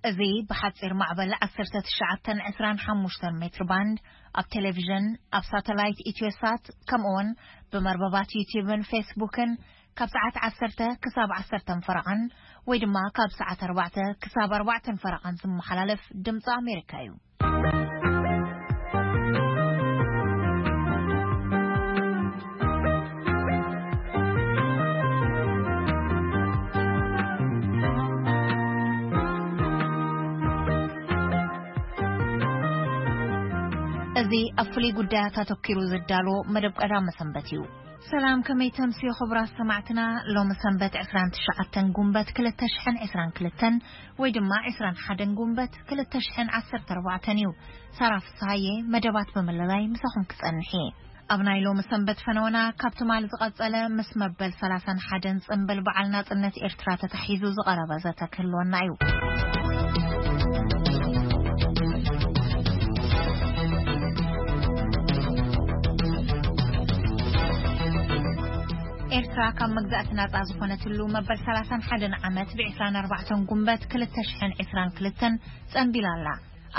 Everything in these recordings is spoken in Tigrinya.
እዚ ብሓጺር ማዕበል ዓሰርተ ትሽዓተ ዕስራን ሓሙሽተን ሜትር ባንድ፣ ኣብ ቴሌቪዥን፣ ኣብ ሳተላይት ኢትዮሳት፣ ከምኡውን ብመርበባት ዩቲዩብን ፌስቡክን ካብ ሰዓት ዓሰርተ ክሳብ ዓሰርተ ፈረቓን ወይ ድማ ካብ ሰዓት ኣርባዕተ ክሳብ ኣርባዕተ ፈረቓን ዝመሓላለፍ ድምፂ ኣሜሪካ እዩ። እዚ ኣብ ፍሉይ ጉዳያት ኣተኪሩ ዝዳሎ መደብ ቀዳመ ሰንበት እዩ። ሰላም፣ ከመይ ተምስዩ ክቡራት ሰማዕትና? ሎሚ ሰንበት ዕስራን ትሽዓተን ጉንበት ክልተ ሽሕን ዕስራን ክልተን ወይ ድማ ዕስራን ሓደን ጉንበት ክልተ ሽሕን ዓሰርተ ኣርባዕተን እዩ። ሳራ ፍስሃየ መደባት ብምልላይ ምሳኹም ክጸንሕ እየ። ኣብ ናይ ሎሚ ሰንበት ፈነወና ካብ ትማል ዝቐጸለ ምስ መበል ሰላሳን ሓደን ጽንብል በዓል ናጽነት ኤርትራ ተታሒዙ ዝቐረበ ዘተ ክህልወና እዩ። ኤርትራ ካብ መግዛእቲ ናጻ ዝኾነትሉ መበል ሰላሳን ሓደን ዓመት ብ ዕስራን ኣርባዕተን ጉንበት ክልተ ሽሕን ዕስራን ክልተን ጸንቢላ ኣላ።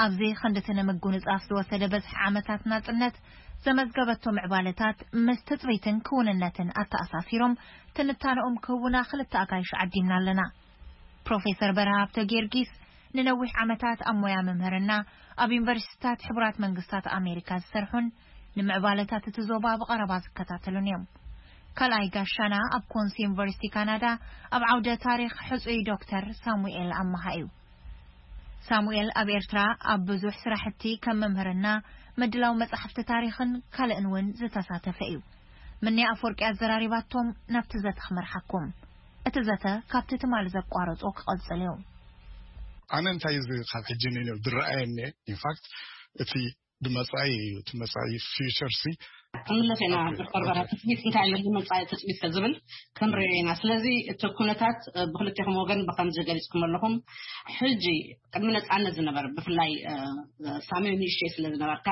ኣብዚ ክንድቲ ንምጉንጻፍ ዝወሰደ በዝሒ ዓመታት ናጽነት ዘመዝገበቶ ምዕባለታት ምስ ትጽቢትን ክውንነትን ኣተኣሳሲሮም ትንታነኦም ክህቡና ክልተ ኣጋይሽ ዓዲምና ኣለና። ፕሮፌሰር በርሀ ሃብተ ጊዮርጊስ ንነዊሕ ዓመታት ኣብ ሞያ መምህርና ኣብ ዩኒቨርሲቲታት ሕቡራት መንግስታት ኣሜሪካ ዝሰርሑን ንምዕባለታት እቲ ዞባ ብቐረባ ዝከታተሉን እዮም። ካልኣይ ጋሻና ኣብ ኮንስ ዩኒቨርሲቲ ካናዳ ኣብ ዓውደ ታሪኽ ሕጹይ ዶክተር ሳሙኤል ኣማሃ እዩ። ሳሙኤል ኣብ ኤርትራ ኣብ ብዙሕ ስራሕቲ ከም መምህርና ምድላው መጻሕፍቲ ታሪኽን ካልእን እውን ዝተሳተፈ እዩ። ምንያ ኣፈወርቂ ኣዘራሪባቶም ናብቲ ዘተ ክመርሓኩም። እቲ ዘተ ካብቲ ትማሊ ዘቋረጾ ክቐጽል እዩ። ኣነ እንታይ እዚ ካብ ሕጂ ንንየው ዝረኣየኒ፣ ኢንፋክት እቲ ድመጻኢ እዩ፣ እቲ መጻኢ ፊውቸር ሲ። ክንምለስ ኢና። ዶክተር በርሀ፣ ትጽቢት እንታይ ኣለኒ መጻኢ ትጽቢት ዝብል ክንሪኦ ኢና። ስለዚ እቲ ኩነታት፣ እ፣ ብክልቴኹም ወገን ብከምዚ ገሊጽኩም ኣለኹም። ሕጂ ቅድሚ ነጻነት ዝነበረ፣ ብፍላይ፣ እ፣ ሳሚ ንእሽተይ ስለ ዝነበርካ፣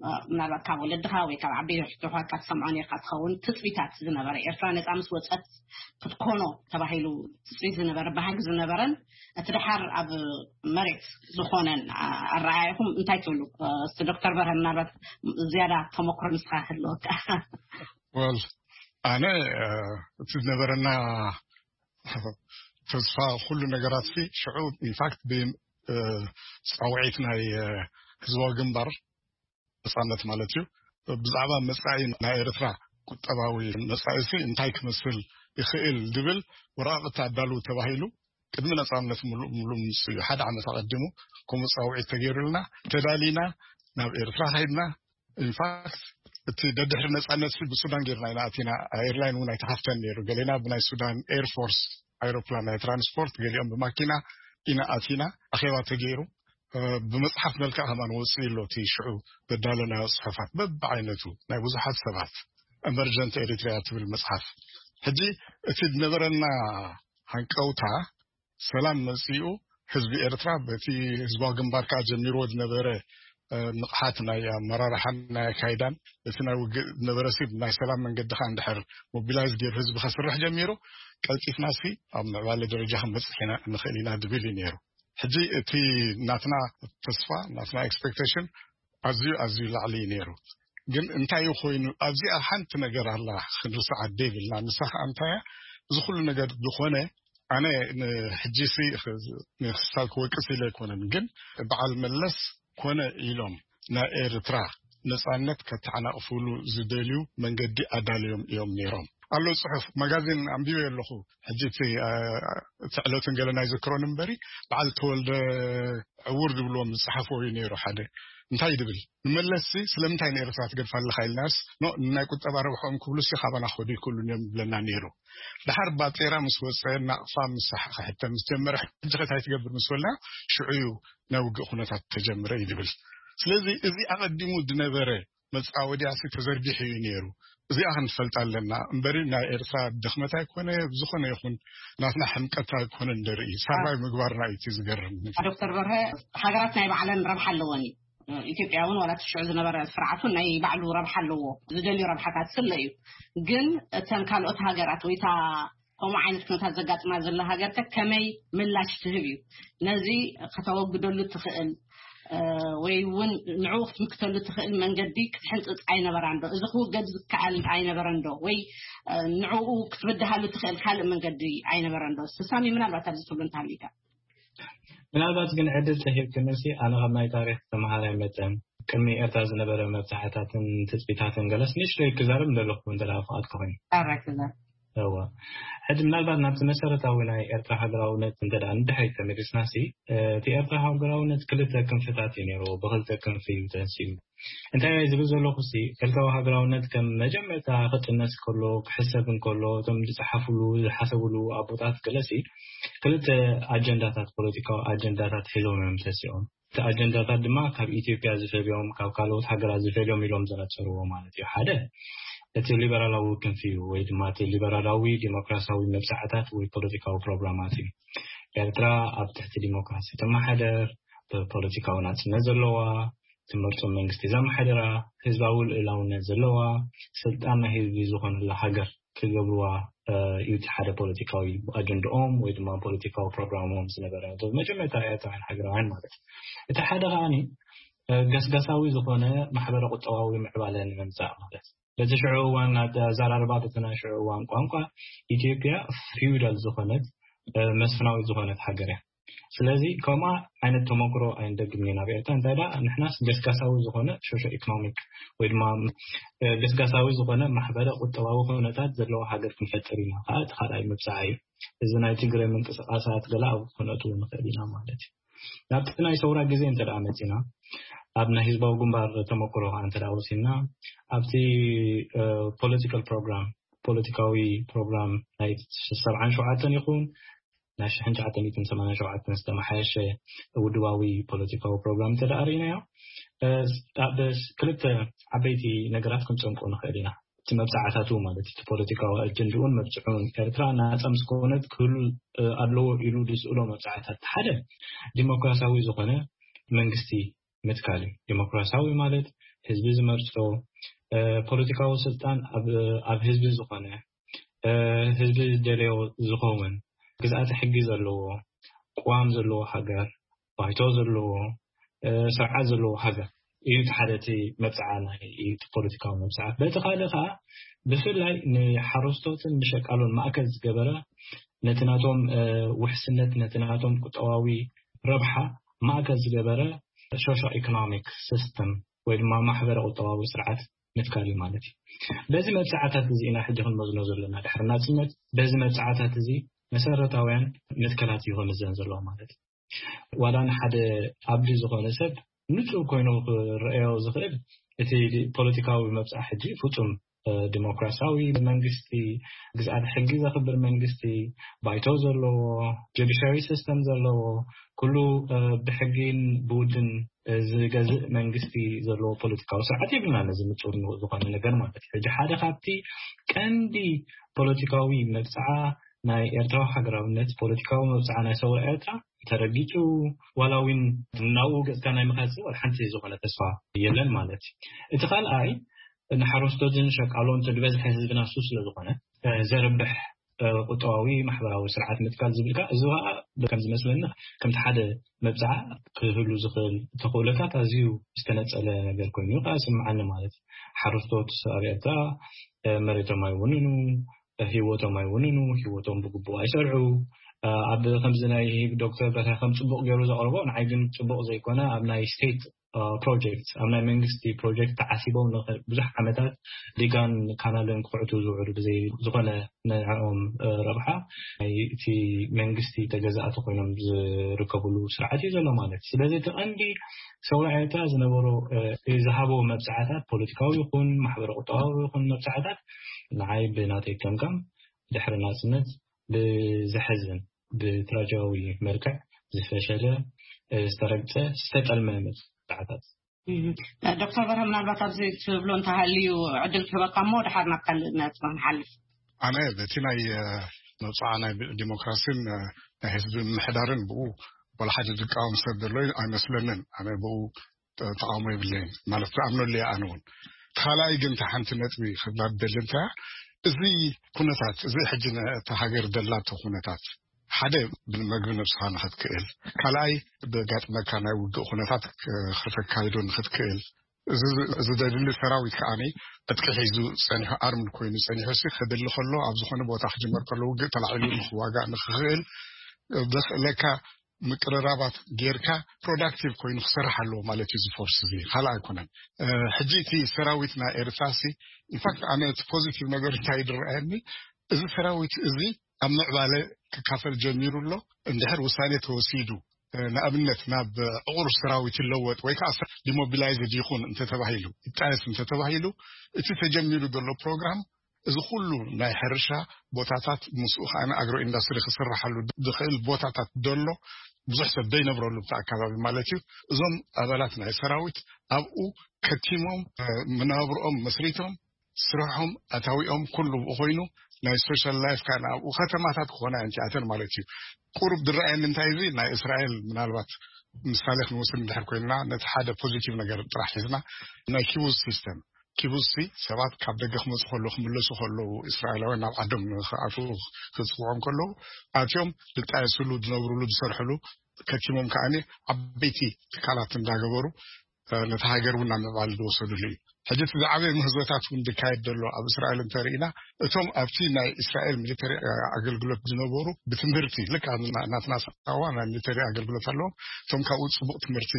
እ፣ ምናልባት ካብ ወለድኻ ወይ ካብ ዓበይቲ ኣሕዋትካ ትሰምዖ ነርካ ትኸውን። ትጽቢታት ዝነበረ፣ ኤርትራ ነጻ ምስ ወጸት ክትኮኖ ተባሂሉ ትጽቢት ዝነበረ፣ ባህጊ ዝነበረን፣ እቲ ደሓር ኣብ መሬት ዝኾነን፣ ኣ-፣ ኣረኣእያኹም እንታይ ትብሉ? እ፣ እስቲ ዶክተር በርሀ፣ ምናልባት ዝያዳ ተመክሮ ንስኻ ክህልወካ። ወል፣ ኣነ፣ እ፣ እቲ ዝነበረና ተስፋ፣ ኩሉ ነገራት ሲ ሽዑ፣ ኢንፋክት፣ ብ-፣ እ፣ ጻውዒት ናይ፣ እ፣ ህዝባዊ ግንባር ነጻነት ማለት እዩ። ብዛዕባ መጻኢ ናይ ኤርትራ ቁጠባዊ መጻኢ ሲ እንታይ ክመስል ይኽእል ዝብል ወረቓቕቲ ኣዳልው ተባሂሉ ቅድሚ ነጻነት ምሉእ ብምሉእ ምስ ሓደ ዓመት ኣቐዲሙ ከምኡ ጻውዒት ተገይሩልና ተዳሊና ናብ ኤርትራ ከይድና። ኢንፋክት፣ እቲ ደድሕሪ ነጻነት ሲ ብሱዳን ጌርና ኢና ኣቲና። ኤርላይን እውን ኣይተኸፍተን ነይሩ። ገሌና ብናይ ሱዳን ኤርፎርስ ኣይሮፕላን ናይ ትራንስፖርት፣ ገሊኦም ብማኪና ኢና ኣቲና። ኣኼባ ተገይሩ፣ እ፣ ብመጽሓፍ መልክዕ ከማን ወጽኡ ኣሎ። እቲ ሽዑ ዘዳለናዮ ጽሑፋት በብዓይነቱ ናይ ብዙሓት ሰባት፣ ኤመርጀንት ኤሪትሪያ ትብል መጽሓፍ። ሕጂ እቲ ዝነበረና ሃንቀውታ ሰላም መጺኡ፣ ህዝቢ ኤርትራ በቲ ህዝባዊ ግንባር ከኣ ጀሚርዎ ዝነበረ፣ እ፣ ንቕሓት ናይ ኣመራርሓን ናይ ኣካይዳን፣ እቲ ናይ ውግእ ዝነበረ ሲ ናይ ሰላም መንገዲ ከኣ እንድሕር ሞቢላይዝ ገይሩ ህዝቢ ከስርሕ ጀሚሩ፣ ቀልጢፍና ሲ ኣብ ምዕባለ ደረጃ ክንበጽሕ ኢና፣ ንኽእል ኢና ዝብል እዩ ነይሩ። ሕጂ እቲ ናትና ተስፋ፣ ናትና ኤክስፔክቴሽን ኣዝዩ፣ ኣዝዩ ላዕሊ እዩ ነይሩ። ግን እንታይ እዩ ኮይኑ? ኣብዚኣ ሓንቲ ነገር ኣላ ክንርስዓ ደይብልና። ንሳ ኸኣ እንታይ እያ? እዚ ኩሉ ነገር ዝኾነ፣ ኣነ ንሕጂ ሲ ንክስታል ክወቅስ ኢለ ኣይኮነን፣ ግን በዓል መለስ ኮነ ኢሎም ናይ ኤርትራ ነጻነት ከተዓናቕፉሉ ዝደልዩ መንገዲ ኣዳልዮም እዮም ነይሮም። ኣሎ ጽሑፍ፣ ማጋዚን ኣንቢበ ኣለኹ። ሕጂ እቲ፣ እ፣ እቲ ዕለትን ገለ ናይ ዝክሮን እምበሪ፣ በዓል ተወልደ ዕውር ዝብልዎም ዝጸሓፍዎ እዩ ነይሩ ሓደ። እንታይ ድብል? ንመለስሲ ስለምንታይ ንኤርትራ ትገድፋ ኣለኻ ኢልናስ፣ ኖ፣ ናይ ቁጠባ ረብሖም ክብሉሲ ካባና ክኸዱ ይክእሉን እዮም ይብለና ነይሩ። ድሓር ባጤራ ምስ ወጸ፣ ናቕፋ ምስ ክሕተ ምስ ጀመረ፣ ሕጂ ከ እንታይ ትገብር ምስ በልና፣ ሽዑ እዩ ናይ ውግእ ኩነታት ተጀምረ እዩ ድብል። ስለዚ እዚ ኣቐዲሙ ዝነበረ መጻወድያሲ ተዘርጊሑ እዩ ነይሩ። እዚኣ ክንፈልጣ ኣለና እምበሪ፣ ናይ ኤርትራ ድኽመት ኣይኮነ፣ ብዝኾነ ይኹን ናትና ሕምቀት ኣይኮነ እንደርኢ፣ ሳርቫይቭ ምግባርና እዩ እቲ ዝገርም። ዶክተር በርሀ፣ ሃገራት ናይ ባዕለን ረብሓ ኣለወን እዩ። ኢትዮጵያ እውን ዋላ እቲ ሽዑ ዝነበረ ስርዓቱ ናይ ባዕሉ ረብሓ ኣለዎ፣ ዝደልዩ ረብሓታት ስለ እዩ። ግን እተን ካልኦት ሃገራት ወይ እታ ከምኡ ዓይነት ኩነታት ዘጋጥማ ዘሎ ሃገር ከ ከመይ ምላሽ ትህብ እዩ? ነዚ ከተወግደሉ ትኽእል ወይ እውን ንዕኡ ክትምክተሉ ትኽእል መንገዲ ክትሕንፅፅ ኣይነበራን ዶ? እዚ ክውገድ ዝከኣል ኣይነበረን ዶ? ወይ ንዕኡ ክትብድሃሉ ትኽእል ካልእ መንገዲ ኣይነበረን ዶ? ስሳሚ ምናልባት ኣብዚ ትብሉ እንተሃሊካ። ምናልባት ግን ዕድል ተሂብክንሲ ኣነ ካብ ናይ ታሪክ ተምሃራይ መጠን ቅድሚ ኤርትራ ዝነበረ መብዛሕታትን ትፅቢታትን ገለስ ንእሽተይ ክዛረብ እንደለኹ እንተ ፍቓድ ክኾይኑ። ዳራይ ክዛረብ እዋ ሕጂ ምናልባት ናብቲ መሰረታዊ ናይ ኤርትራ ሃገራውነት እንተ ንድሕሪት ተመሊስናሲ እቲ ኤርትራ ሃገራውነት ክልተ ክንፍታት እዩ ነይሩ። ብክልተ ክንፊ እዩ ተንሲኡ። እንታይ ዝብል ዘለኹ ሲ ኤርትራዊ ሃገራውነት ከም መጀመርታ ክጥነስ ከሎ ክሕሰብ እንከሎ እቶም ዝፀሓፍሉ ዝሓሰብሉ ኣቦታት ገለሲ ክልተ ኣጀንዳታት ፖለቲካዊ ኣጀንዳታት ሒዞም እዮም ተሲኦም። እቲ ኣጀንዳታት ድማ ካብ ኢትዮጵያ ዝፈልዮም ካብ ካልኦት ሃገራት ዝፈልዮም ኢሎም ዘነፀርዎ ማለት እዩ። ሓደ እቲ ሊበራላዊ ክንፊ እዩ ወይ ድማ እቲ ሊበራላዊ ዲሞክራሲያዊ መብፃዕታት ወይ ፖለቲካዊ ፕሮግራማት እዩ። ኤርትራ ኣብ ትሕቲ ዲሞክራሲ ትመሓደር፣ ብፖለቲካዊ ናፅነት ዘለዋ፣ ትመርፆ መንግስቲ ዘመሓድራ፣ ህዝባዊ ልእላውነት ዘለዋ፣ ስልጣን ናይ ህዝቢ ዝኾነላ ሃገር ክገብርዋ እዩ እቲ ሓደ ፖለቲካዊ ኣጀንድኦም ወይ ድማ ፖለቲካዊ ፕሮግራሞም ዝነበረ መጀመርታ ኤርትራውያን ሃገራውያን ማለት እዩ። እቲ ሓደ ከዓኒ ገስጋሳዊ ዝኾነ ማሕበረ ቁጠባዊ ምዕባለ ንምምፃእ ማለት በቲ ሽዑ እዋን ኣዘራርባ በቲ ናይ ሽዑ እዋን ቋንቋ ኢትዮጵያ ፊውዳል ዝኾነት መስፍናዊት ዝኾነት ሃገር እያ። ስለዚ ከምኣ ዓይነት ተመክሮ ኣይንደግምን ኢና ኣብ ኤርትራ። እንታይ ደኣ ንሕናስ ገስጋሳዊ ዝኾነ ሶሾ ኢኮኖሚክ ወይ ድማ ገስጋሳዊ ዝኾነ ማሕበረ ቁጠባዊ ኩነታት ዘለዎ ሃገር ክንፈጥር ኢና ከዓ እቲ ካልኣይ መብፅዓ እዩ። እዚ ናይ ትግረ ምንቅስቃሳት ገለ ኣብ ኩነቱ ንኽእል ኢና ማለት እዩ። ናብቲ ናይ ሰውራ ግዜ እንተ ደኣ መፂና ኣብ ናይ ህዝባዊ ግንባር ተመክሮ ከዓ እንተ ደኣ ወሲድና ኣብቲ ፖለቲካል ፕሮግራም ፖለቲካዊ ፕሮግራም ናይ ሰብዓን ሸውዓተን ይኹን ናይ ሽሕን ትሽዓተ ሚእትን ሰማንያን ሸውዓተን ዝተመሓየሸ ውድባዊ ፖለቲካዊ ፕሮግራም እንተ ደኣ ርኢናዮ ኣብ ክልተ ዓበይቲ ነገራት ክንፀምቆ ንኽእል ኢና። እቲ መብፃዕታቱ ማለት እቲ ፖለቲካዊ ኣጀንድኡን መብፅዑን ኤርትራ ናፃ ምስ ኮነት ክህሉ ኣለዎ ኢሉ ዝስእሎ መብፃዕታት ሓደ ዲሞክራሲያዊ ዝኾነ መንግስቲ ምትካል እዩ። ዲሞክራሲያዊ ማለት ህዝቢ ዝመርፆ ፖለቲካዊ ስልጣን ኣብ ህዝቢ ዝኾነ ህዝቢ ዝደለዮ ዝኸውን ግዝኣተ ሕጊ ዘለዎ ቅዋም ዘለዎ ሃገር ባይቶ ዘለዎ ስርዓት ዘለዎ ሃገር እዩ። እቲ ሓደ እቲ መብፅዓ ናይ ፖለቲካዊ መብፅዓት። በቲ ካልእ ከዓ ብፍላይ ንሓረስቶትን ንሸቃሎን ማእከል ዝገበረ ነቲ ናቶም ውሕስነት ነቲ ናቶም ቁጠባዊ ረብሓ ማእከል ዝገበረ ሶሾ ኢኮኖሚክ ሲስተም ወይ ድማ ማሕበረ ቁጠባዊ ስርዓት ምትካል እዩ ማለት እዩ። በዚ መብፅዓታት እዚ ኢና ሕጂ ክንመዝኖ ዘለና ድሕሪ ናፅነት በዚ መብፅዓታት እዚ መሰረታውያን መትከላት እዩ ክምዘን ዘለዎ ማለት እዩ። ዋላ ንሓደ ኣብዲ ዝኾነ ሰብ ንፁር ኮይኑ ክረአዮ ዝኽእል እቲ ፖለቲካዊ መብፅዓ ሕጂ ፍፁም ዲሞክራሲያዊ መንግስቲ ግዝኣት ሕጊ ዘኽብር መንግስቲ ባይቶ ዘለዎ ጀዲሻሪ ሲስተም ዘለዎ ኩሉ ብሕጊን ብውድን ዝገዝእ መንግስቲ ዘለዎ ፖለቲካዊ ስርዓት የብልና። ነዚ ንፁር ዝኾነ ነገር ማለት እዩ። ሕጂ ሓደ ካብቲ ቀንዲ ፖለቲካዊ መብፅዓ ናይ ኤርትራዊ ሃገራውነት ፖለቲካዊ መብፅዓ ናይ ሰውራ ኤርትራ ተረጊፁ ዋላ እውን ናብኡ ገፅካ ናይ ምኻፅ ዋላ ሓንቲ ዝኾነ ተስፋ የለን ማለት እዩ። እቲ ካልኣይ ንሓረስቶትን ሸቃሎን ዝበዝሐ ህዝብና እሱ ስለ ዝኾነ ዘርብሕ ቁጠባዊ ማሕበራዊ ስርዓት ምትካል ዝብል ከዓ እዚ ከዓ ከም ዝመስለኒ ከምቲ ሓደ መብፅዓ ክህሉ ዝኽእል ተኽእሎታት ኣዝዩ ዝተነፀለ ነገር ኮይኑ ከዓ ይስምዓኒ ማለት እዩ። ሓረስቶት ኣብ ኤርትራ መሬቶም ኣይውንኑ፣ ህይወቶም ኣይውንኑ፣ ህይወቶም ብግቡእ ኣይሰርሑ። ኣብ ከምዚ ናይ ዶክተር በርሀ ከም ፅቡቕ ገይሩ ዘቕርቦ ንዓይ ግን ፅቡቕ ዘይኮነ ኣብ ናይ ስቴት ፕሮጀክት ኣብ ናይ መንግስቲ ፕሮጀክት ተዓሲቦም ብዙሕ ዓመታት ዲጋን ካናልን ክኹዕቱ ዝውዕሉ ብዘይ ዝኾነ ንዕኦም ረብሓ ናይ እቲ መንግስቲ ተገዛእቲ ኮይኖም ዝርከብሉ ስርዓት እዩ ዘሎ ማለት እዩ። ስለዚ እቲ ቀንዲ ሰውራ ኤርትራ ዝነበሮ ዝሃቦ መብፅዓታት ፖለቲካዊ ይኹን ማሕበረ ቁጠባዊ ይኹን መብፅዓታት ንዓይ ብናተይ ከምጋም ድሕሪ ናፅነት ብዘሕዝን ብትራጃዊ መልክዕ ዝፈሸለ ዝተረግፀ ዝተጠልመ መብፅዓታት ዶክተር በርሀ ምናልባት ኣብዚ ትብሎ እንተሃልዩ ዕድል ክህበካ እሞ ድሓር ናብ ካልእ ነጥቢ ንሓልፍ። ኣነ በቲ ናይ መብፅዓ ናይ ዲሞክራሲን ናይ ህዝቢ ምምሕዳርን ብኡ ዋላ ሓደ ዝቃወም ሰብ ዘሎ ኣይመስለንን። ኣነ ብኡ ተቃውሞ የብለይን ማለት ዝኣምነሉ እየ። ኣነ እውን ካልኣይ ግን እታ ሓንቲ ነጥቢ ክብላ ደሊ እንታይ እዚ ኩነታት እዚ ሕጂ ነታ ሃገር ደላቶ ኩነታት ሓደ ብመግቢ ነብስኻ ንኽትክእል፣ ካልኣይ ብጋጥመካ ናይ ውግእ ኩነታት ክ- ከተካይዶ ንኽትክእል፣ እዚ እዚ ዘድሊ ሰራዊት ከዓኒ ዕጥቂ ሒዙ ጸኒሑ ኣርምድ ኮይኑ ጸኒሑ ሲ ክድሊ ከሎ ኣብ ዝኾነ ቦታ ክጅመር ከሎ ውግእ ተላዒሉ ንኽዋጋእ ንኽኽእል ዘኽእለካ ምቅርራባት ጌርካ ፕሮዳክቲቭ ኮይኑ ክሰርሕ ኣለዎ ማለት እዩ። እዚ ፎርስ እዚ ካልእ ኣይኮነን። ሕጂ እቲ ሰራዊት ናይ ኤርትራ ሲ ኢንፋክት ኣነ እቲ ፖዚቲቭ ነገር እንታይ ዝረኣየኒ፣ እዚ ሰራዊት እዚ ኣብ ምዕባለ ክካፈል ጀሚሩ ኣሎ። እንድሕር ውሳኔ ተወሲዱ ንኣብነት ናብ ዕቑር ሰራዊት ይለወጥ ወይ ከዓ ዲሞቢላይዝድ ይኹን እንተተባሂሉ ይጣየስ እንተተባሂሉ እቲ ተጀሚሩ ዘሎ ፕሮግራም እዚ ኩሉ ናይ ሕርሻ ቦታታት ምስኡ ከዓ ኣግሮ ኢንዳስትሪ ክስራሓሉ ዝኽእል ቦታታት ደሎ ብዙሕ ሰብ ዘይነብረሉ ብቲ ኣካባቢ ማለት እዩ። እዞም ኣባላት ናይ ሰራዊት ኣብኡ ከቲሞም መናብርኦም መስሪቶም ስርሖም ኣታዊኦም ኩሉ ብኡ ኮይኑ ናይ ሶሻል ላይፍ ከዓ ኣብኡ ከተማታት ክኾና እየን እቲኣተን ማለት እዩ። ቁሩብ ዝረኣየኒ እንታይ እዚ ናይ እስራኤል ምናልባት ምሳሌ ክንወስድ እንድሕር ኮይንና ነቲ ሓደ ፖዚቲቭ ነገር ጥራሕ ሒዝና ናይ ኪቡዝ ሲስተም ኪቡዝ ሲ ሰባት ካብ ደገ ክመፁ ከለዉ ክምለሱ ከለዉ እስራኤላውያን ናብ ዓዶም ንክኣትዉ ክፅውዖም ከለዉ ኣትዮም ዝጣየስሉ ዝነብርሉ ዝሰርሕሉ ከቲሞም ከዓኒ ዓበይቲ ትካላት እንዳገበሩ ነቲ ሃገር እውን ናብ ምዕባል ዝወሰድሉ እዩ። ሕጂ እቲ ዝዓበየ ምህዞታት እውን ዝካየድ ዘሎ ኣብ እስራኤል እንተርኢና እቶም ኣብቲ ናይ እስራኤል ሚሊተሪ ኣገልግሎት ዝነበሩ ብትምህርቲ ልክ ናትና ሳዋ ናይ ሚሊተሪ ኣገልግሎት ኣለዎም። እቶም ካብኡ ፅቡቅ ትምህርቲ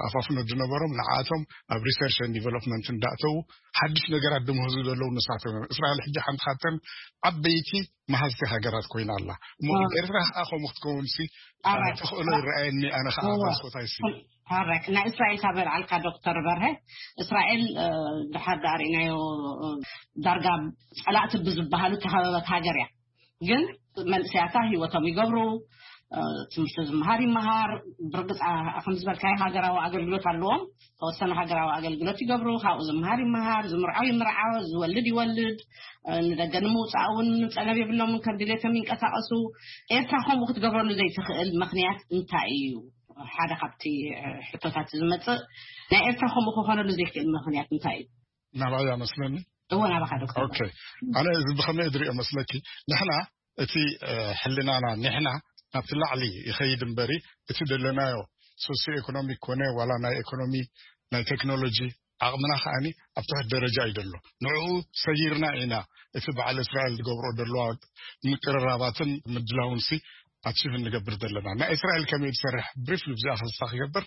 ኣፋፍኖ ዝነበሮም ንዓቶም ኣብ ሪሰርች ን ዲቨሎፕመንት እንዳእተዉ ሓድሽ ነገራት ዝምህዙ ዘለዉ ንሳቶም እዮም። እስራኤል ሕጂ ሓንቲ ካብተን ዓበይቲ መሃዝቲ ሃገራት ኮይና ኣላ። እሞ ኤርትራ ከዓ ከምኡ ክትከውን ሲ ተኽእሎ ይረኣየኒ። ኣነ ከዓ መስኮታይ ሲ ረ ናይ እስራኤል ካብ ኣልዓልካ ዶክተር በርሀ እስራኤል ድሓር ዳርኢናዮ ዳርጋ ፀላእቲ ብዝበሃሉ ተኸበበት ሃገር እያ። ግን መንእሰያታ ህይወቶም ይገብሩ፣ ትምህርቲ ዝመሃር ይመሃር። ብርግፃ ከም ዝበልካዮ ሃገራዊ ኣገልግሎት ኣለዎም። ተወሰነ ሃገራዊ ኣገልግሎት ይገብሩ፣ ካብኡ ዝመሃር ይመሃር፣ ዝምርዓው ይምርዓው፣ ዝወልድ ይወልድ። ንደገ ንምውፃእ እውን ፀገም የብሎምን፣ ከም ድሌቶም ይንቀሳቀሱ። ኤርትራ ከምኡ ክትገብረሉ ዘይትኽእል ምኽንያት እንታይ እዩ? ሓደ ካብቲ ሕቶታት ዝመፅእ ናይ ኤርትራ ከምኡ ክኾነሉ ዘይክእል ምኽንያት እንታይ እዩ? ናባይ ኣመስለኒ እወ ናባኻ ዶክተር። ኦኬ፣ ኣነ እዚ ብኸመይ ዝሪኦ መስለኪ? ንሕና እቲ ሕልናና ንሕና ናብቲ ላዕሊ ይኸይድ እምበሪ እቲ ዘለናዮ ሶሲዮ ኤኮኖሚክ ኮነ ዋላ ናይ ኤኮኖሚ ናይ ቴክኖሎጂ ዓቕምና ከዓኒ ኣብ ትሕት ደረጃ እዩ ዘሎ። ንዕኡ ሰጊርና ኢና እቲ በዓል እስራኤል ዝገብሮ ዘለዋ ምቅርራባትን ምድላውን ሲ ኣቺቭ እንገብር ዘለና። ናይ እስራኤል ከመይ ዝሰርሕ ብሪፍሊ ብዚኣ ክስታ ክገብር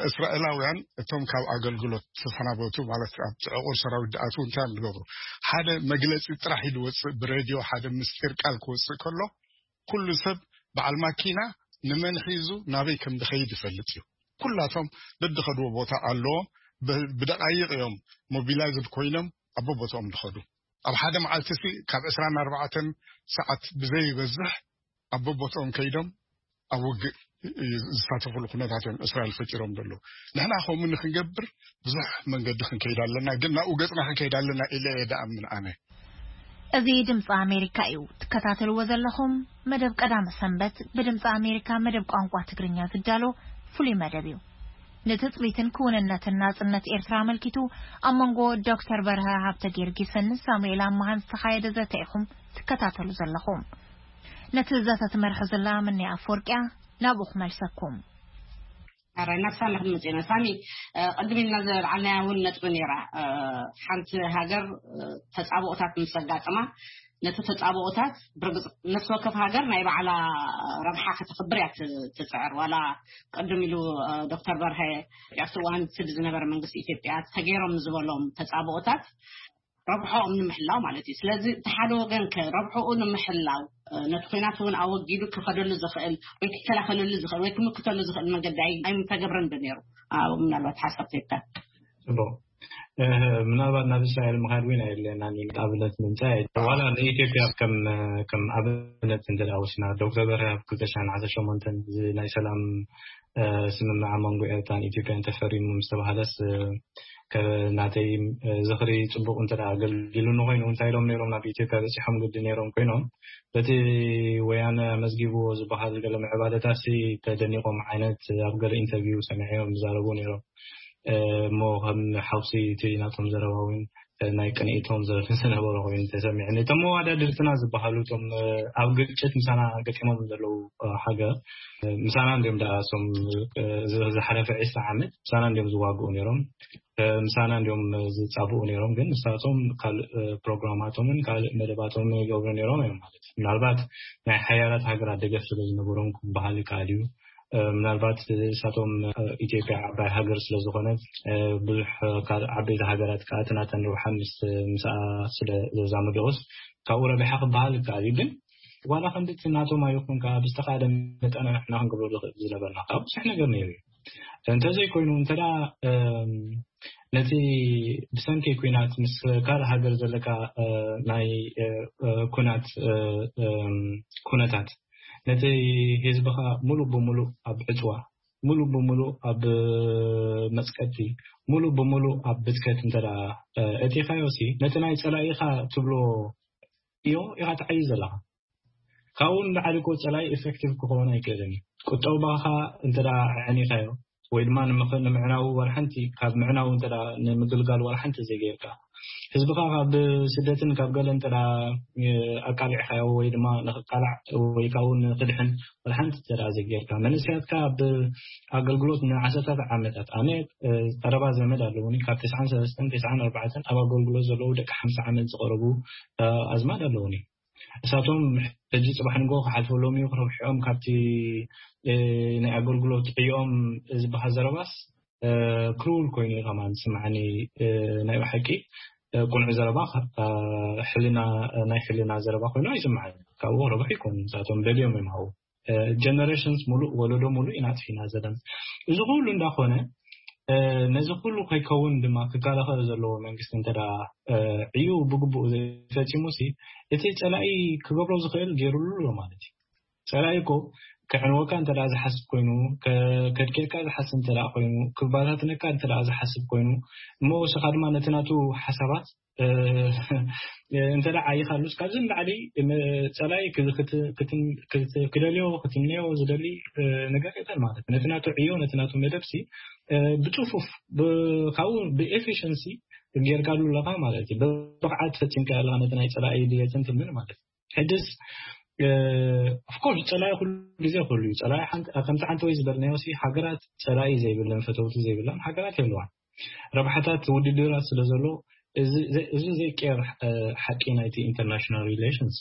እስራኤላውያን እቶም ካብ ኣገልግሎት ተሰናበቱ ማለት ኣብ ዕቑር ሰራዊት ዝኣትዉ እንታይ እዮም ዝገብሩ? ሓደ መግለፂ ጥራሕ እዩ ዝወፅእ ብሬድዮ ሓደ ምስጢር ቃል ክወፅእ ከሎ ኩሉ ሰብ በዓል ማኪና ንመን ሒዙ ናበይ ከም ዝኸይድ ይፈልጥ እዩ። ኩላቶም ደድኸድዎ ቦታ ኣለዎም። ብደቃይቕ እዮም ሞቢላይዝድ ኮይኖም ኣብ ቦቦትኦም ዝኸዱ። ኣብ ሓደ መዓልቲ ሲ ካብ ዕስራን ኣርባዕተን ሰዓት ብዘይበዝሕ ኣብ ቦቦትኦም ከይዶም ኣብ ውግእ ዝሳተፉሉ ኩነታት እዮም እስራኤል ፈጢሮም ዘለዉ። ንሕና ከምኡ ንክንገብር ብዙሕ መንገዲ ክንከይድ ኣለና፣ ግን ናብኡ ገፅና ክንከይድ ኣለና ኢለ እየ ደኣምን ኣነ። እዚ ድምፂ ኣሜሪካ እዩ ትከታተልዎ ዘለኹም። መደብ ቀዳመ ሰንበት ብድምፂ ኣሜሪካ መደብ ቋንቋ ትግርኛ ዝዳሎ ፍሉይ መደብ እዩ። ንትፅቢትን ክውንነትን ናፅነት ኤርትራ ኣመልኪቱ ኣብ መንጎ ዶክተር በርሀ ሃብተ ጊዮርጊስን ሳሙኤል ኣማሃን ዝተኻየደ ዘተ ኢኹም ትከታተሉ ዘለኹም። ነቲ ዘተ ትመርሖ ዘላ ምንያ ኣፈወርቅያ ናብኡ ክመልሰኩም። ኣራይ ናብ ሳሚ ክንመጽእ ኢና። ሳሚ ቅድም ኢልና ዘልዓልናያ እውን ነጥቢ ነይራ። ሓንቲ ሃገር ተጻብኦታት ምስ ኣጋጥማ ነቲ ተጻብኦታት ብርግጽ ነፍሲ ወከፍ ሃገር ናይ ባዕላ ረብሓ ከተኽብር እያ ትጽዕር። ዋላ ቅድም ኢሉ ዶክተር በርሀ ኣብቲ እዋን እቲ ዝነበረ መንግስቲ ኢትዮጵያ ተገይሮም ዝበሎም ተጻብኦታት ረብሖኦም ንምሕላው ማለት እዩ። ስለዚ እቲ ሓደ ወገን ከ ረብሖኡ ንምሕላው ነቲ ኲናት እውን ኣወጊዱ ክኸደሉ ዝኽእል ወይ ክከላኸለሉ ዝኽእል ወይ ክምክተሉ ዝኽእል መንገዲ ኣይምተገብረን ዶ ነይሩ? ምናልባት ሓሳብ ቴካ ጽቡቕ። ምናልባት ናብ እስራኤል ምኻድ እውን ኣየድልየናን እዩ። ኣብነት ምምፃእ ዋላ ንኢትዮጵያ ከም ኣብነት እንተ ወሲና ዶክተር በርሀ ኣብ ክልተ ሽሕን ዓሰርተ ሸሞንተን ናይ ሰላም ስምምዕ ኣብ መንጎ ኤርትራን ኢትዮጵያን ተፈሪሙ ምስ ተባሃለስ ናተይ ዝኽሪ ጽቡቕ እንተ ኣገልጊሉኒ ኮይኑ እንታይ ኢሎም ነይሮም ናብ ኢትዮጵያ በጺሖም ግዲ ነይሮም ኮይኖም በቲ ወያነ መዝጊብዎ ዝበሃል ገለ ምዕባለታሲ ተደኒቖም ዓይነት ኣብ ገለ ኢንተርቪው ሰሚዐዮም ዝዛረቡ ነይሮም። እሞ ከም ሓውሲ እቲ ናቶም ዘረባ እውን ናይ ቅንኢቶም ዝነበሩ ኮይኑ ተሰሚዑ። እቶም መዋዳድርትና ዝበሃሉ እቶም ኣብ ግጭት ምሳና ገጢሞም ዘለዉ ሃገር ምሳና እንዲም ደኣ እሶም ዝሓለፈ ዕስራ ዓመት ምሳና እንዲም ዝዋግኡ ነይሮም፣ ምሳና እንዲም ዝጻብኡ ነይሮም። ግን ንሳቶም ካልእ ፕሮግራማቶምን ካልእ መደባቶምን ይገብሩ ነይሮም እዮም ማለት እዩ። ምናልባት ናይ ሓያላት ሃገራት ደገፍ ስለ ዝነበሮም ክበሃል ይከኣል እዩ። ምናልባት እሳቶም ኢትዮጵያ ዓባይ ሃገር ስለ ዝኾነት ብዙሕ ካልእ ዓበይቲ ሃገራት ከዓ እቲ ናተን ረብሓ ምስ ምስኣ ስለ ዘዛምድኦስ ካብኡ ረቢሓ ክበሃል ይከኣል እዩ። ግን ዋላ ከምቲ ናቶም ኣይኹን ከዓ ብዝተኻእለ መጠን ንሕና ክንገብሮ ዝኽእል ዝነበርና ከዓ ብዙሕ ነገር ነይሩ እዩ። እንተዘይኮይኑ እንተዳ ነቲ ብሰንኪ ኩናት ምስ ካልእ ሃገር ዘለካ ናይ ኩናት ኩነታት ነቲ ህዝብኻ ሙሉእ ብሙሉእ ኣብ ዕፅዋ፣ ሙሉእ ብሙሉእ ኣብ መፅቀቲ፣ ሙሉእ ብሙሉእ ኣብ ብትከት እንተ እቲኻዮ ሲ ነቲ ናይ ፀላኢኻ ትብሎ እዮ ኢኻ ትዓዩ ዘለኻ። ካብኡ ንላዕሊ እኮ ፀላኢ ኢፌክቲቭ ክኸውን ኣይክእልን እዩ። ቁጠባኻ እንተ ኣዕኒኻዮ ወይ ድማ ንምዕናው ዋላ ሓንቲ ካብ ምዕናው እንተ ንምግልጋል ዋላ ሓንቲ ዘይገይርካ ህዝብኻ ካብ ስደትን ካብ ገለ እንተ ኣቃሊዕካዮ ወይ ድማ ንክቃላዕ ወይ ካብኡ ንክድሕን ዋላ ሓንቲ እንተ ዘይገይርካ መንእሰያትካ ኣብ ኣገልግሎት ንዓሰርታት ዓመታት ኣነ ቀረባ ዘመድ ኣለውኒ ካብ ተስዓን ሰለስተን ተስዓን ኣርባዕተን ኣብ ኣገልግሎት ዘለዉ ደቂ ሓምሳ ዓመት ዝቐረቡ ኣዝማድ ኣለውኒ። እሳቶም ሕጂ ፅባሕ ንጎ ክሓልፈሎም እዩ ክረብሕኦም ካብቲ ናይ ኣገልግሎት ዕዮም ዝበሃል ዘረባስ ክሩል ኮይኑ እዩ ከማን ዝስምዓኒ። ናይ ብሓቂ ቁኑዕ ዘረባ ሕልና ናይ ሕልና ዘረባ ኮይኑ ኣይስምዓኒ። ካብኡ ክረብሑ ይኮኑ ንሳቶም ደልዮም እዮም ሃው ጀነሬሽንስ ሙሉእ ወለዶ ሙሉእ ኢና ኣጥፊና ዘለና። እዚ ኩሉ እንዳኮነ ነዚ ኩሉ ከይከውን ድማ ክከላኸል ዘለዎ መንግስቲ እንተ ዕዩ ብግቡእ ዘይፈፂሙ ሲ እቲ ፀላኢ ክገብሮ ዝኽእል ገይሩሉ ኣሎ ማለት እዩ። ፀላኢ እኮ ከዕንወካ እንተ ዝሓስብ ኮይኑ ከድኬድካ ዝሓስብ እንተ ኮይኑ ክባታትነካ እንተ ዝሓስብ ኮይኑ እሞ ወስኻ ድማ ነቲ ናቱ ሓሳባት እንተ ደኣ ዓይኻሉስ ካብዚ ንላዕሊ ጸላኢ ክደልዮ ክትምነዮ ዝደሊ ነገር የለን ማለት ነቲ ናቱ ዕዮ ነቲ ናቱ መደብሲ ብጽፉፍ ካብኡ ብኤፊሽንሲ ጌርካሉ ኣለኻ ማለት እዩ። ብብቕዓት ፈጺምካ ኣለኻ ነቲ ናይ ጸላኢ ድሌትን ትልምን ማለት እዩ። ሕድስ ኦፍኮርስ ጸላኢ ኩሉ ግዜ ኩሉ እዩ። ጸላኢ ከምቲ ሓንቲ ወይ ዝበልናዮ ሲ ሃገራት ጸላኢ ዘይብለን ፈተውቲ ዘይብለን ሃገራት የለዋን። ረብሓታት ውድድራት ስለ ዘሎ እዚ ዘይቀየር ሓቂ ናይቲ ኢንተርናሽናል ሪሌሽንስ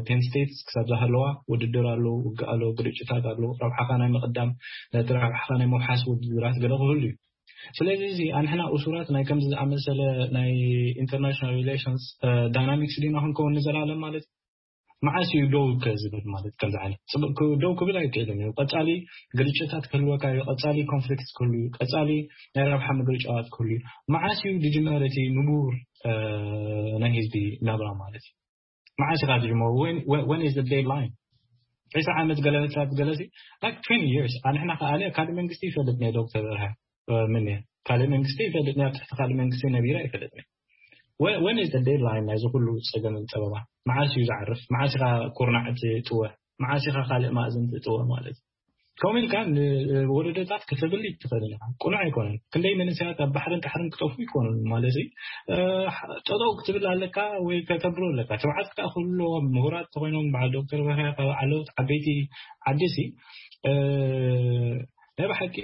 ቴን ስቴትስ ክሳብ ዝሃለዋ ውድድር ኣሎ፣ ውግእ ኣሎ፣ ግርጭታት ኣሎ። ረብሓኻ ናይ ምቕዳም ነቲ ረብሓኻ ናይ ምውሓስ ውድድራት ገለ ክህሉ እዩ። ስለዚ እዚ ኣንሕና እሱራት ናይ ከምዚ ዝኣመሰለ ናይ ኢንተርናሽናል ሪሌሽንስ ዳይናሚክስ ዲና ክንከውን ንዘላለም ማለት እዩ። መዓስ እዩ ደው ከ ዝብል ማለት ከምዚ ዓይነት ደው ክብል ኣይክእልን እዩ። ቀጻሊ ግርጭታት ክህልወካ እዩ። ቀጻሊ ኮንፍሊክት ክህሉ እዩ። ቀጻሊ ናይ ረብሓ ምግርጫዋት ክህሉ እዩ። መዓስ እዩ ዝጅመር እቲ ንቡር ናይ ህዝቢ ናብራ ማለት እዩ? መዓስ ኢኻ ትጅመሩ? When is the deadline? ዕስራ ዓመት ገለመታት ገለሲ like twenty years ኣንሕና ከኣለ ካልእ መንግስቲ ይፈልጥ ናይ ዶክተር በርሃ ምን ካልእ መንግስቲ ይፈልጥ ናይ ኣብ ትሕቲ ካልእ መንግስቲ ነቢራ ይፈልጥ ናይ When is the deadline ናይዚ ኩሉ ጸገምን ጸበባ? መዓስ እዩ ዝዓርፍ? መዓስ ኢኻ ኩርናዕ ትጥወ? መዓስ ኢኻ ካልእ ማእዝን ትጥወ ማለት እዩ? ከምኡ ኢልካ ንወለዶታት ክትብል ትኽእል ኢኻ። ቁኑዕ ኣይኮነን። ክንደይ መንእሰያት ኣብ ባሕርን ጣሕርን ክጠፉ ይኮኑን ማለት እዩ። ጠጠው ክትብል ኣለካ ወይ ከተብሮ ኣለካ። ትብዓት ከዓ ክህልዎም ምሁራት ተኮይኖም በዓል ዶክተር በርሀ ካብ ዓለውት ዓበይቲ ዓዲ ሲ ናይ ብሓቂ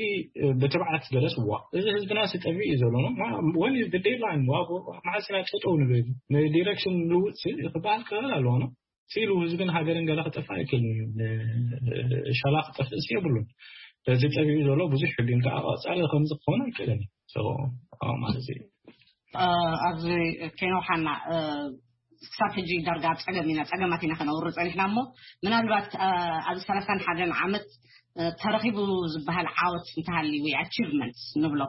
ብትብዓት ገለስ ዋ እዚ ህዝብና ስጠሚ እዩ ዘሎ። When is the deadline? መዓስ ኢና ጠጠው ንብል? ንዲረክሽን ንልውጥ ክበሃል ክኽእል ኣለዎ ነው ሲሉ ህዝብን ሃገርን ገለ ክጠፋ ኣይክእልን እዩ። ሻላ ክጠፍእስ የብሉን። እዚ ጠቢኡ ዘሎ ብዙሕ ሕግን ከዓ ቀፃሊ ከምዚ ክኸውን ኣይክእልን እዩ ማለት እዩ። ኣብዚ ኬኖ ሓና ክሳብ ሕጂ ዳርጋ ፀገም ኢና ፀገማት ኢና ከነውርድ ፀኒሕና እሞ ምናልባት ኣብዚ ሰላሳን ሓደን ዓመት ተረኺቡ ዝበሃል ዓወት እንተሃልዩ ወይ ኣቺቭመንትስ ንብሎ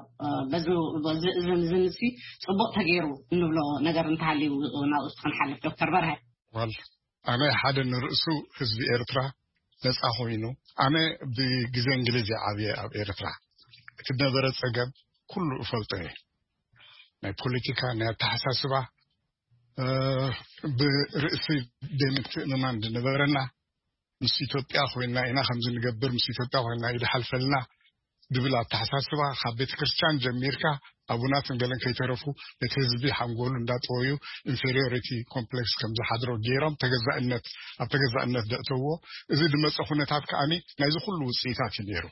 በዚ ንሲ ፅቡቅ ተገይሩ እንብሎ ነገር እንተሃልዩ ናብኡ እስቲ ክንሓልፍ ዶክተር በርሀ። ዋል ኣነ ሓደ ንርእሱ ህዝቢ ኤርትራ ነፃ ኮይኑ ኣነ ብግዜ እንግሊዝ እየ ዓብየ ኣብ ኤርትራ እቲ ነበረ ፀገም ኩሉ እፈልጦ እየ ናይ ፖለቲካ ናይ ኣተሓሳስባ ብርእሲ ደምትእምማን ዝነበረና ምስ ኢትዮጵያ ኮይና ኢና ከምዚ ንገብር ምስ ኢትዮጵያ ኮይና እዩ ዝሓልፈልና ድብል ኣተሓሳስባ፣ ካብ ቤተ ክርስቲያን ጀሚርካ ኣቡናትን ገለን ከይተረፉ ነቲ ህዝቢ ሓንጎሉ እንዳጠወዩ ኢንፌሪዮሪቲ ኮምፕሌክስ ከም ዝሓድሮ ገይሮም ተገዛእነት፣ ኣብ ተገዛእነት ደእተዎ። እዚ ዝመፀ ኩነታት ከኣኒ ናይዚ ኩሉ ውፅኢታት እዩ ነይሩ።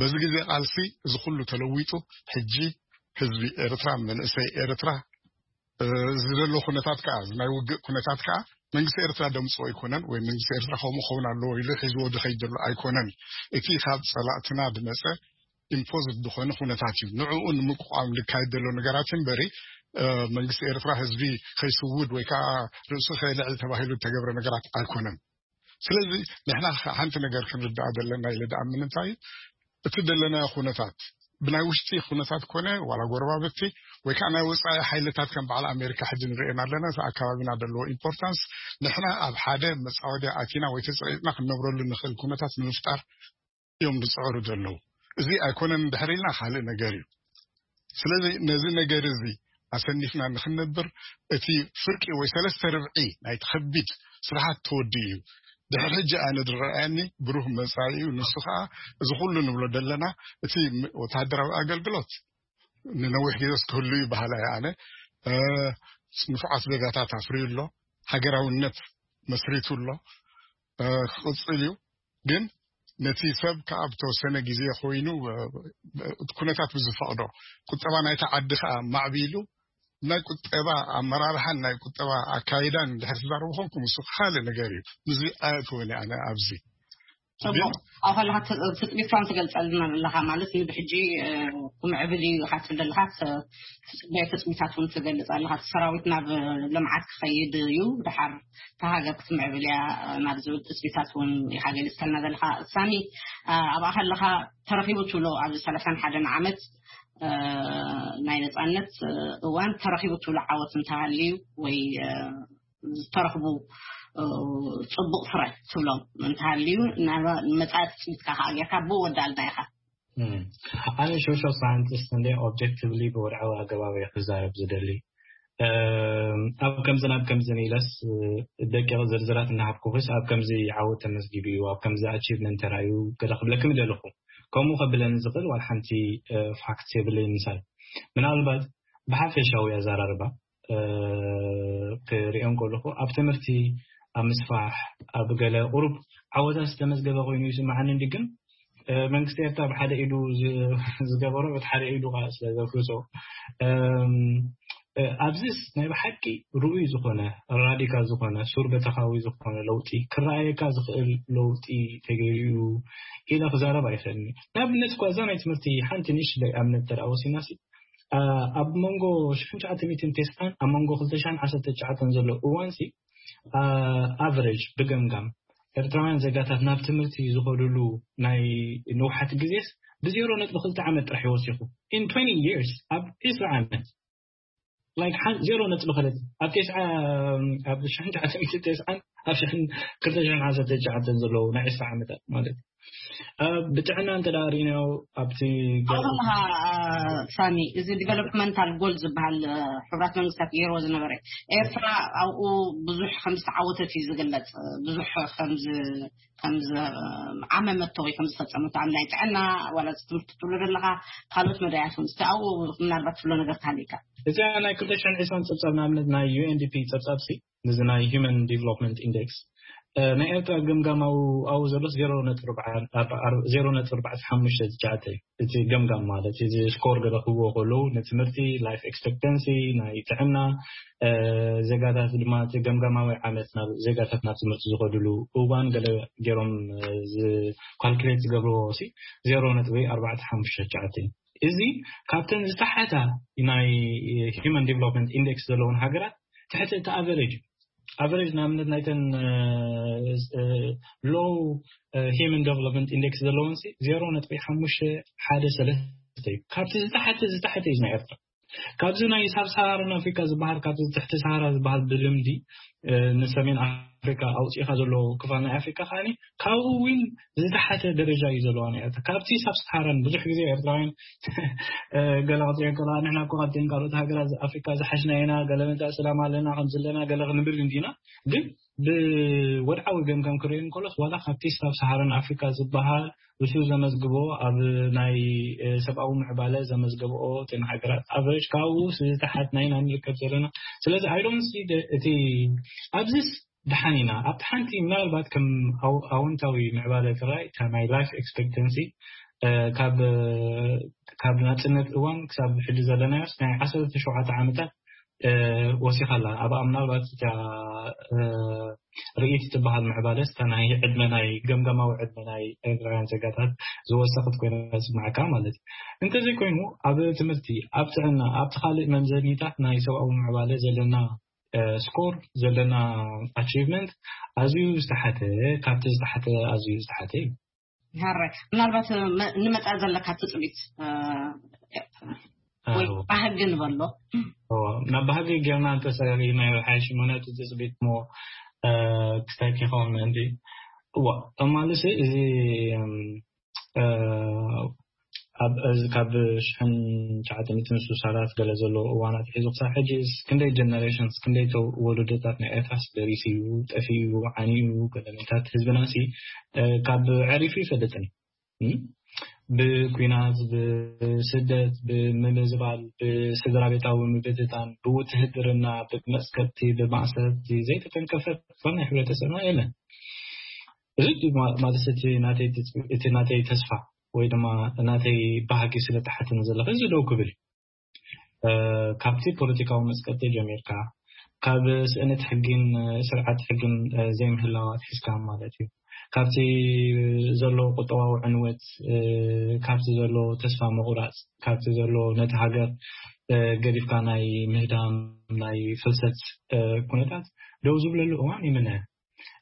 በዚ ግዜ ቃልሲ እዚ ኩሉ ተለዊጡ፣ ሕጂ ህዝቢ ኤርትራ፣ መንእሰይ ኤርትራ፣ እዚ ዘሎ ኩነታት ከዓ፣ እዚ ናይ ውግእ ኩነታት ከዓ መንግስቲ ኤርትራ ደምፅኦ ኣይኮነን፣ ወይ መንግስቲ ኤርትራ ከምኡ ክኸውን ኣለዎ ኢሉ ሒዝዎ ዝኸይድ ዘሎ ኣይኮነን። እቲ ካብ ፀላእትና ዝመፀ ኢምፖዝድ ዝኾነ ኩነታት እዩ። ንዕኡ ንምቁቋም ዝካየድ ዘሎ ነገራት እምበሪ መንግስቲ ኤርትራ ህዝቢ ከይስውድ ወይ ከዓ ርእሱ ከየልዕል ተባሂሉ ዝተገብረ ነገራት ኣይኮነን። ስለዚ ንሕና ሓንቲ ነገር ክንርዳኣ ዘለና ኢለ ደኣምን እንታይ እዩ፣ እቲ ዘለናዮ ኩነታት ብናይ ውሽጢ ኩነታት ኮነ ዋላ ጎረባብቲ ወይ ከዓ ናይ ወፃኢ ሓይልታት ከም በዓል ኣሜሪካ ሕጂ ንርእየን ኣለና። እቲ ኣካባቢና ዘለዎ ኢምፖርታንስ ንሕና ኣብ ሓደ መፃወድያ ኣቲና ወይ ተፀቂጥና ክንነብረሉ ንኽእል ኩነታት ንምፍጣር እዮም ዝፅዕሩ ዘለዉ። እዚ ኣይኮነን እንድሕር ኢልና ካልእ ነገር እዩ። ስለዚ ነዚ ነገር እዚ ኣሰኒፍና ንክንነብር እቲ ፍርቂ ወይ ሰለስተ ርብዒ ናይቲ ከቢድ ስራሓት ተወዲኡ እዩ። ድሕሪ ሕጂ ኣነ ዝረኣየኒ ብሩህ መጻኢ እዩ። ንሱ ከዓ እዚ ኩሉ ንብሎ ዘለና እቲ ወታደራዊ ኣገልግሎት ንነዊሕ ግዜ ክህሉ እዩ በሃላይ ኣነ። ንፉዓት ዜጋታት ኣፍርዩ ኣሎ፣ ሃገራውነት መስሪቱ ኣሎ፣ ክቕፅል እዩ። ግን ነቲ ሰብ ከዓ ብተወሰነ ግዜ ኮይኑ እቲ ኩነታት ብዝፈቕዶ ቁጠባ ናይቲ ዓዲ ከዓ ማዕቢሉ ናይ ቁጠባ ኣመራርሓን ናይ ቁጠባ ኣካይዳን እንድሕር ትዛረቡ ኮንኩም እሱ ካልእ ነገር እዩ። ምስዚ ኣየእትወኒ ኣነ ኣብዚ ጽቡቅ። ኣብ ከለካ ትጽቢትካን ትገልጸልና ኣለካ ማለት ንብሕጂ ክምዕብል እዩ ኢካ ትብል ኣለካ። ትጽበዮ ትጽቢታት እውን ትገልጽ ኣለካ። እቲ ሰራዊት ናብ ልምዓት ክኸይድ እዩ፣ ድሓር እታ ሃገር ክትምዕብል እያ ናብ ዝብል ትጽቢታት እውን ኢካ ገሊጽከልና ዘለካ። ሳሚ፣ ኣብኣ ከለካ ተረኪቡ ትብሎ ኣብዚ ሰላሳን ሓደን ዓመት ናይ ነጻነት እዋን ተረኪቡ ትብሎ ዓወት እንተሃልዩ ወይ ዝተረኽቡ ጽቡቕ ፍረ ትብሎም እንተሃልዩ ንመጻኢ ትጽቢትካ ከኣ ጌርካ ብኡ ወዳልና ኢኻ። ኣነ ሶሻል ሳይንቲስት እንደ ኦብጀክቲቭሊ ብወድዓዊ ኣገባብ እየ ክዛረብ ዝደሊ። ኣብ ከምዚ ናብ ከምዚ ኢለስ ደቂቕ ዝርዝራት እናሃብኩኽስ ኣብ ከምዚ ዓወት ተመዝጊቡ እዩ፣ ኣብ ከምዚ ኣቺቭመንት ተራእዩ ገለ ክብለክም ይደለኹ። ከምኡ ከብለኒ ዝኽእል ዋላ ሓንቲ ፋክት የብለይ ምሳል ምናልባት ብሓፈሻዊ ኣዘራርባ ክሪኦ እንከለኹ ኣብ ትምህርቲ ኣብ ምስፋሕ ኣብ ገለ ቁሩብ ዓወታት ዝተመዝገበ ኮይኑ ይስምዓኒ እንዲ ግን መንግስቲ ኤርትራ ብሓደ ኢዱ ዝገበሮ በቲ ሓደ ኢዱ ከዓ ስለ ዘፍርሶ ኣብዚስ ናይ ብሓቂ ርኡይ ዝኾነ ራዲካል ዝኾነ ሱር በተኻዊ ዝኾነ ለውጢ ክረኣየካ ዝኽእል ለውጢ ተገይሩ ኢለ ክዛረብ ኣይኽእልን። ንኣብነት እኳ እዛ ናይ ትምህርቲ ሓንቲ ንእሽተይ ኣብነት ተደኣ ወሲድናሲ ኣብ መንጎ ሽሕን ትሽዓተ ሚእትን ተስዓን ኣብ መንጎ ክልተ ሽሕን ዓሰርተ ትሽዓተን ዘሎ እዋንሲ ኣቨሬጅ ብገምጋም ኤርትራውያን ዜጋታት ናብ ትምህርቲ ዝኸድሉ ናይ ንውሓት ግዜስ ብዜሮ ነጥቢ ክልተ ዓመት ጥራሕ ይወሲኹ in twenty years ኣብ ዕስራ ዓመት like ዜሮ ነጥቢ ክልተ ኣብ ተስዓ ኣብ ሽሕን ትሽዓተ ሚእትን ተስዓን ኣብ ሽሕን ክልተ ሽሕን ዓሰርተ ትሽዓተን ዘለዉ ናይ ዕስራ ዓመታት ማለት ብጥዕና እንተ ደኣ ርኢናዮ ኣብቲ ኣብርሃ ሳሚ እዚ ዲቨሎፕመንታል ጎል ዝበሃል ሕቡራት መንግስታት ገይርዎ ዝነበረ ኤርትራ ኣብኡ ብዙሕ ከም ዝተዓወተት እዩ ዝግለጽ ብዙሕ ከም ከም ዓመመቶ ወይ ከም ዝፈጸመቶ ኣብ ናይ ጥዕና ዋላ ትምህርቲ ትብሎ ዘለካ ካልኦት መዳያት እውን እስቲ ኣብኡ ምናልባት ትብሎ ነገር ተሃሊካ እዚኣ ናይ ክልተ ሽሕን ዕስራን ጸብጻብ ንኣብነት ናይ ዩኤንዲፒ ጸብጻብ ሲ ንዚ ናይ human development index ናይ ኤርትራ ገምጋማዊ ኣብኡ ዘሎስ ዜሮ ነጥቢ ኣርባዕተ ሓሙሽተ ትሽዓተ እዩ እቲ ገምጋም ማለት እዚ ስኮር ገለ ክህብዎ ከለዉ ንትምህርቲ life expectancy ናይ ጥዕና ዜጋታት ድማ እቲ ገምጋማዊ ዓመት ናብ ዜጋታት ናብ ትምህርቲ ዝኸድሉ እዋን ገለ ገይሮም ካልኩሌት ዝገብርዎ ሲ ዜሮ ነጥቢ ኣርባዕተ ሓሙሽተ ትሽዓተ እዩ እዚ ካብተን ዝተሓታ ናይ human development index ዘለውን ሃገራት ትሕቲ እቲ ኣቨሬጅ እዩ ኣቨሬጅ ንኣብነት ናይተን low human development index ዘለውን ዜሮ ነጥቢ ሓሙሽተ ሓደ ሰለስተ እዩ ካብቲ ዝተሓተ ዝተሓተ እዩ ናይ ኤርትራ ካብዚ ናይ ሳብ ሰሃራን ኣፍሪካ ዝበሃል ካብዚ ትሕቲ ሰሃራ ዝበሃል ብልምዲ ንሰሜን ኣፍሪካ ኣውፂኢካ ዘሎ ክፋል ናይ ኣፍሪካ ከዓኒ ካብኡ እውን ዝተሓተ ደረጃ እዩ ዘለዋ ናይ ኤርትራ ካብቲ ሳብ ሰሃራን ብዙሕ ግዜ ኤርትራውያን ገለ ክትሪኦ ከለዋ ንሕና እኮ ካብተን ካልኦት ሃገራት ኣፍሪካ ዝሓሽና ኢና ገለ መታእ ሰላም ኣለና ከም ዘለና ገለ ክንብል እንዲና ግን ብወድዓዊ ገምጋም ክርእዮ እንከሎስ ዋላ ካብቲ ሳብ ሰሃራን ኣፍሪካ ዝበሃል እሱ ዘመዝግቦ ኣብ ናይ ሰብኣዊ ምዕባለ ዘመዝገብኦ እተን ሃገራት ኣቨሬጅ ካብኡ ዝተሓት ናይ ኢና ንርከብ ዘለና። ስለዚ ኣይዶንሲ እቲ ኣብዚስ ደሓን ኢና ኣብቲ ሓንቲ ምናልባት ከም ኣውንታዊ ምዕባለ ትራይ እታ ናይ ላይፍ ኤክስፔክተንሲ ካብ ናፅነት እዋን ክሳብ ሕጂ ዘለናዮስ ናይ ዓሰርተ ሸውዓተ ዓመታት ወሲኻ ኣላ። ኣብኣ ምናልባት እታ ርእይት ትበሃል ምዕባለስ እታ ናይ ዕድመ ናይ ገምጋማዊ ዕድመ ናይ ኤርትራውያን ዜጋታት ዝወሰኽት ኮይና ዝስማዕካ ማለት እዩ። እንተዘይኮይኑ ኣብ ትምህርቲ፣ ኣብ ጥዕና፣ ኣብቲ ካልእ መምዘኒታት ናይ ሰብኣዊ ምዕባለ ዘለና ስኮር ዘለና ኣቺቭመንት ኣዝዩ ዝተሓተ፣ ካብቲ ዝተሓተ ኣዝዩ ዝተሓተ እዩ። ሃራይ ምናልባት ንመፃ ዘለካ ትፅቢት ወይ ባህጊ ንበሎ ናብ ባህጊ ጌርና እንተሰሪናዮ ሓይሽ ምክንያቱ ትፅቢት ሞ ክስታይ ከይኸውን ምእንቲ እዋ እማልሲ እዚ ኣብ እዚ ካብ ሽሕን ትሽዓተ ሚእትን ስሳን ገለ ዘለዎ እዋን ኣትሒዙ ክሳብ ሕጂ ክንደይ ጀነሬሽንስ ክንደይ ወለዶታት ናይ ኤርትራስ ደሪሱ እዩ ጠፊኡ ዓንዩ ገለመታት ህዝብና ሲ ካብ ዕሪፉ ይፈልጥን ብኩናት ብስደት ብምምዝባል ብስድራ ቤታዊ ምብትታን ብውትህድርና ብመፅከብቲ ብማእሰርቲ ዘይተተንከፈት ዝኾነ ሕብረተሰብና የለን። እዚ ማለት እቲ ናተይ ተስፋ ወይ ድማ ናተይ ባህጊ ስለ ተሓተኒ ዘለኹ እዚ ደው ክብል ካብቲ ፖለቲካዊ መፅቀጢ ጀሚርካ ካብ ስእነት ሕጊን ስርዓት ሕጊን ዘይምህላው ኣትሒዝካ ማለት እዩ። ካብቲ ዘሎ ቁጠባዊ ዕንወት፣ ካብቲ ዘሎ ተስፋ ምቑራፅ፣ ካብቲ ዘሎ ነቲ ሃገር ገዲፍካ ናይ ምህዳም ናይ ፍልሰት ኩነታት ደው ዝብለሉ እዋን ይምነ።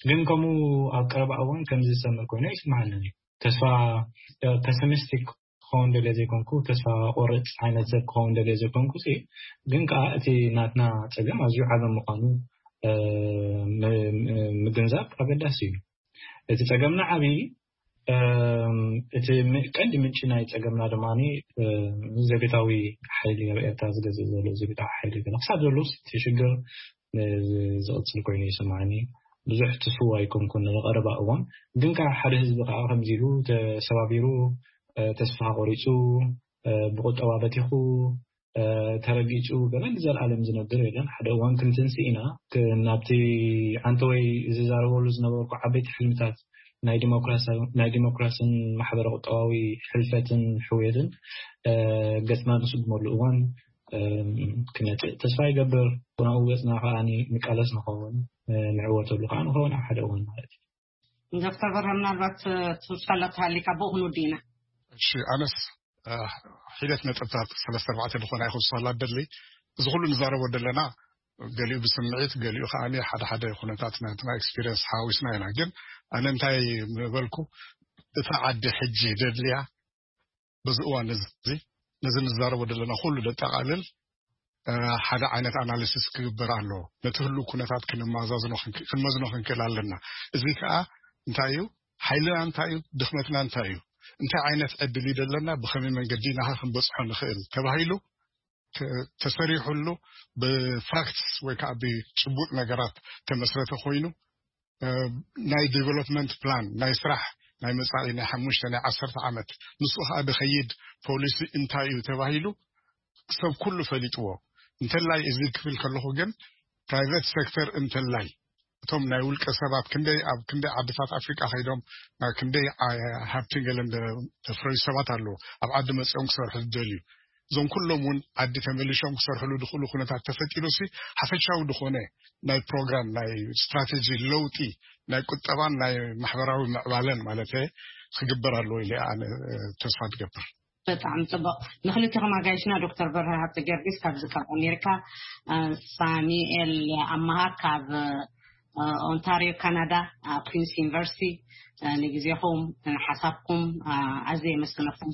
ግን ከምኡ ኣብ ቀረባ እዋን ከምዚ ዝሰምዕ ኮይኑ ኣይስምዓንን እዩ። ተስፋ ፐሲሚስቲክ ክኸውን ደልየ ዘይኮንኩ፣ ተስፋ ቆርፅ ዓይነት ሰብ ክኸውን ደልየ ዘይኮንኩ፣ ግን ከዓ እቲ ናትና ፀገም ኣዝዩ ዓቢ ምዃኑ ምግንዛብ ኣገዳሲ እዩ። እቲ ፀገምና ዓቢ እቲ ቀንዲ ምንጪ ናይ ፀገምና ድማ ዘቤታዊ ሓይሊ ኣብ ኤርትራ ዝገዝእ ዘሎ ዘቤታዊ ሓይሊ ገለ ክሳብ ዘሎ እቲ ሽግር ዝቕፅል ኮይኑ ይስማዓኒ። ብዙሕ ትስው ኣይኮንኩን ንቐረባ እዋን፣ ግን ከዓ ሓደ ህዝቢ ከዓ ከምዚ ኢሉ ተሰባቢሩ ተስፋ ቆሪፁ ብቁጠባ በቲኹ ተረጊፁ ገለ ንዘለኣለም ዝነብር የለን። ሓደ እዋን ክንትንስእ ኢና ናብቲ ዓንተወይ ዝዛረበሉ ዝነበርኩ ዓበይቲ ሕልምታት ናይ ዲሞክራስን ማሕበረ ቁጠባዊ ሕልፈትን ሕውየትን ገፅና ንስጉመሉ እዋን ክነፅእ ተስፋ ይገብር። ብናኡ ገፅና ከዓ ንቃለስ ንኸውን ንዕወተሉ ከዓ ንኸውን ኣብ ሓደ እዋን ማለት እዩ። ዶክተር በርሀ ምናልባት ትፈልጦ ተሃሊካ ብኡ ክንውዲ ኢና። እሺ ኣነስ ሒደት ነጥብታት ሰለስተ ኣርባዕተ ዝኾና ይኹን ዝፈላ ደሊ እዚ ኩሉ ንዛረቦ ዘለና ገሊኡ ብስምዒት ገሊኡ ከዓ ሓደ ሓደ ኩነታት ናትና ኤክስፒሪየንስ ሓዊስና ኢና። ግን ኣነ እንታይ ምበልኩ እቲ ዓዲ ሕጂ ደድልያ በዚ እዋን እዚ ነዚ ንዛረቦ ዘለና ኩሉ ደጠቃልል ሓደ ዓይነት ኣናሊሲስ ክግበር ኣሎ። ነቲ ህሉ ኩነታት ክንመዝኖ ክንክእል ኣለና። እዚ ከዓ እንታይ እዩ ሓይልና እንታይ እዩ ድኽመትና እንታይ እዩ እንታይ ዓይነት ዕድል እዩ ዘለና ብኸመይ መንገዲ ናኸ ክንበፅሖ ንኽእል ተባሂሉ ተሰሪሑሉ ብፋክትስ ወይ ከዓ ብጭቡጥ ነገራት ተመስረተ ኮይኑ ናይ ዲቨሎፕመንት ፕላን ናይ ስራሕ ናይ መፃኢ ናይ ሓሙሽተ ናይ ዓሰርተ ዓመት ንሱ ከዓ ድኸይድ ፖሊሲ እንታይ እዩ ተባሂሉ ሰብ ኩሉ ፈሊጥዎ እንተላይ እዚ ክብል ከለኹ ግን ፕራይቨት ሴክተር እንተላይ እቶም ናይ ውልቀ ሰባት ክንደይ ኣብ ክንደይ ዓድታት ኣፍሪቃ ከይዶም ናብ ክንደይ ሃብትን ገለን ተፍረዩ ሰባት ኣለዉ ኣብ ዓዲ መፅኦም ክሰርሑ ዝደልዩ እዞም ኩሎም እውን ዓዲ ተመሊሾም ክሰርሕሉ ዝኽእሉ ኩነታት ተፈጢሩ ሲ ሓፈሻዊ ዝኾነ ናይ ፕሮግራም ናይ ስትራቴጂ ለውጢ ናይ ቁጠባን ናይ ማሕበራዊ ምዕባለን ማለት ክግበር ኣለዎ ኢለ ኣነ ተስፋ ትገብር። በጣም ጽቡቅ ንክልቲኹም ኣጋይሽና ዶክተር በርሀ ሃብተ ጊዮርጊስ ካብዚ ካብ ኣሜሪካ ሳሚኤል ኣማሃ ካብ ኦንታሪዮ ካናዳ ኩንስ ዩኒቨርሲቲ ንግዜኹም ሓሳብኩም ኣዝየ የመስግነኩም።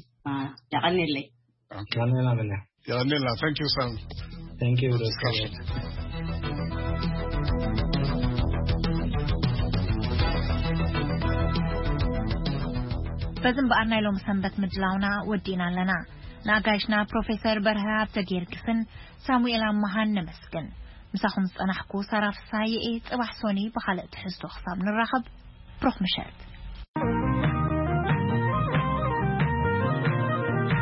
የቐንየለይ። ቀኒና ምንያ የቐንየልና። Thank you Sam. Thank you. በዚ እምበኣር ናይ ሎም ሰንበት ምድላውና ወዲእና ኣለና። ንኣጋይሽና ፕሮፌሰር በርሀ ሃብተ ጊዮርጊስን ሳሙኤል ኣማሃን ነመስግን። ምሳኹም ዝጸናሕኩ ሳራ ፍሳሃየ እየ። ጽባሕ ሶኒ ብኻልእ ትሕዝቶ ክሳብ ንራኸብ፣ ብሩኽ ምሸት።